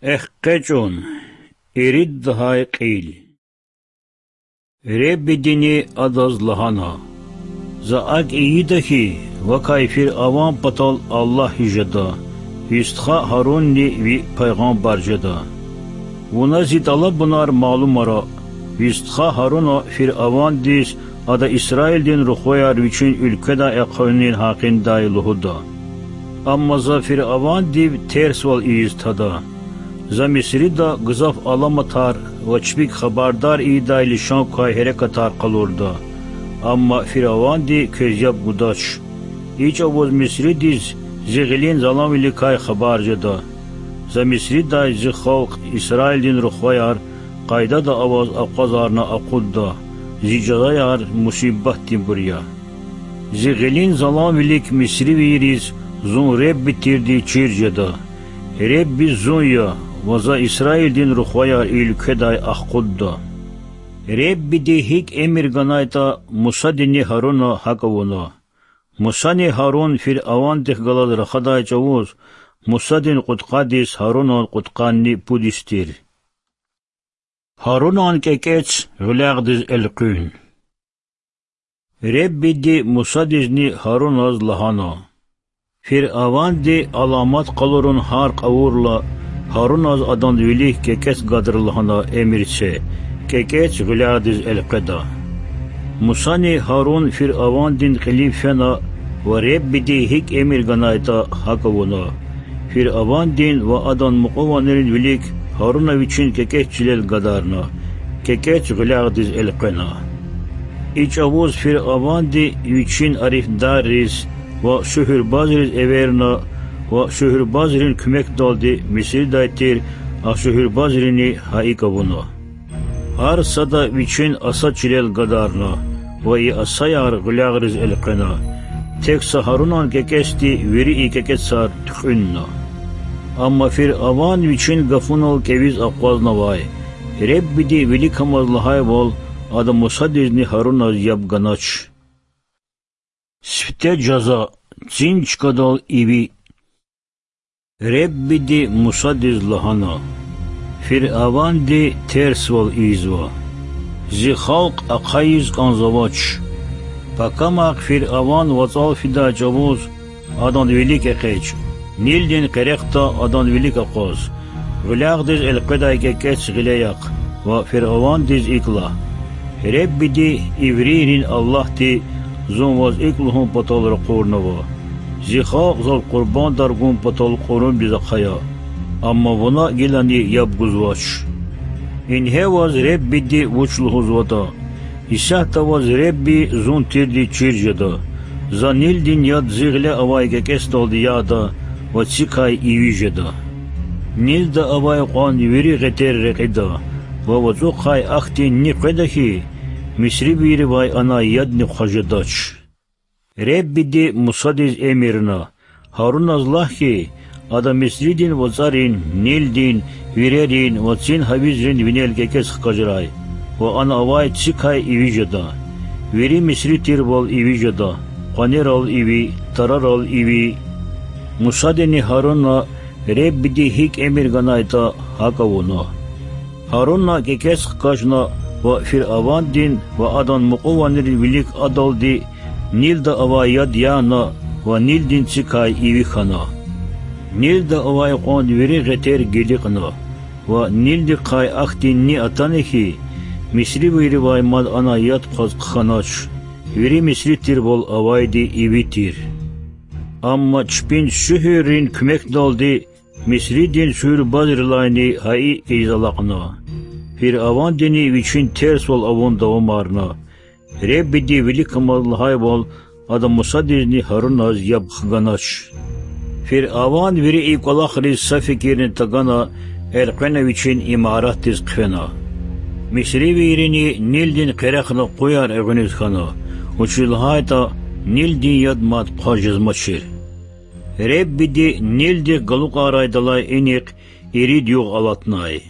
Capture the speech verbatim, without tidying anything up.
ЭкъечӀун. Ирид лагьай кьил. Реббидини адаз лагьана: За акӀ ийида хьи, вакай фир аван патал Аллагь жеда, ви стха Гьарунни ви пайгъамбар жеда. Вуна зи тӀалабунар малумара, ви стха Гьаруна фир авандиз ада Исраилдин рухваяр вичин уьлкведай ахъайунин гьакъиндай лугьуда. Амма за фир авандив терсвал ийиз тада. За Мисрида гзаф аламатар ва чпик хабардар ийидай лишан квай гьерекатар къалурда. Амма фир аванди квез яб гудач. И чӀавуз Мисридиз зи гъилин заланвиликай хабар жеда. За Мисридай зи халкь, Исраилдин рухваяр, къайдада аваз акъвазарна акъудда, зи жазаяр мусибатдинбур я. Зи гъилин заланвилик мисривийриз зун Ребби тирди чир жеда. Ребби зун я, ва за Исраилдин рухваяр и уьлкведай ахкъудда. Реббиди гьикӀ эмир ганайтӀа, Мусадини Гьаруна гьакӀ авуна. Мусани Гьарун фир авандихъ галаз рахадай чӀавуз Мусадин кьудкъадиз Гьарунан кьудкъанни пуд йис тир. Гьарунан кӀекӀец гъуьлягъдиз элкъуьн. Реббиди Мусадизни Гьаруназ лагьана: Фир аванди аламат къалурун гьар кьавурла, Гьаруназ адан вилик кӀекӀец гадра лагьана эмир це, кӀекӀец гъуьлягъдиз элкъведа. Мусани Гьарун фир авандин кьилив фена ва Реббиди гьикӀ эмир ганайтӀа, гьакӀ авуна. Фир авандин ва адан мукьуванрин вилик Гьаруна вичин кӀекӀец чилел гадарна, кӀекӀец гъуьлягъдиз элкъвена. И чӀавуз фир аванди вичин арифдарриз ва шуьгьуьрбазриз эверна ва шуьгьуьрбазрин куьмекдалди Мисридай тир а шуьгьуьрбазрини гьа икӀ авуна. Гьар сада вичин аса чилел гадарна ва и асаяр гъуьлягъриз элкъвена. Тек са Гьарунан кӀекӀецди вири и кӀекӀецар туькьуьнна. Амма фир аван вичин гафунал кӀевиз акъвазнавай, Реббиди виликамаз лагьайвал, ада Мусадизни Гьаруназ яб ганач. Сифте жаза, цин чкадал иви. Реббиди Мусадиз лагьана: Фир аванди терсвал ийизва. Зи халкь ахъайиз кӀанзавач. Пакамахъ фир аван вацӀал фидай чӀавуз адан вилик экъечӀ, Нилдин къерехда адан вилик акъваз, гъуьлягъдиз элкъведай кӀекӀец гъиле яхъ ва фир авандиз икӀ лагь: Реббиди, иврийрин Аллагьди, зун ваз икӀ лугьун патал ракъурнава: Зи халкь зав къурбандар гун патал кьурумдиз ахъая. Амма вуна гилани яб гузвач. Ингье ваз Реббиди вуч лугьузватӀа: Исятда ваз Ребби зун тирди чир жеда. За Нилдин яд зи гъиле авай кӀекӀецдалди яда ва цикай иви жеда. Нилда авай кьван вири гъетер рекьида ва вацӀухъай ахьтин ни къведа хьи, мисривийривай анай ядни хъваз жедач. Реббиди Мусадиз эмирна: Гьаруназ лагь хьи, ада Мисридин вацӀарин, Нилдин, вирерин ва цин гьавизрин винел кӀекӀец хкажрай ва ана авай цикай иви жеда. Вири мисри тирвал иви жеда: къванерал иви, тарарал иви. Мусадини Гьаруна Реббиди гьикӀ эмир ганайтӀа, гьакӀ авуна. Гьаруна кӀекӀец хкажна ва фир авандин ва адан мукьуванрин вилик адалди Нилда авай яд яна ва Нилдин цикай иви хьана. Нилда авай кьван вири гъетер гиликьна ва Нилдихъай ахьтин ни атана хьи, мисривийривай мад анай яд хъваз хъхьанач. Вири мисри тирвал авайди иви тир. Амма чпин шуьгьуьррин куьмекдалди мисридин шуьгьуьрбазрилайни гьа икӀ ийиз алакьна. Фир авандини вичин терсвал авун давамарна. Реббиди виликамаз лагьайвал, ада Мусадизни Гьаруназ яб хганач. Фир аван вири и кӀвалахриз са фикирни тагана элкъвена вичин имаратдиз хъфена. Мисривийрини Нилдин къерехна къуяр эгъуьниз хьана, вучиз лагьайтӀа Нилдин яд мад хъваз жезмачир. Реббиди Нилдихъ галукьарайдалай инихъ ирид югъ алатнай.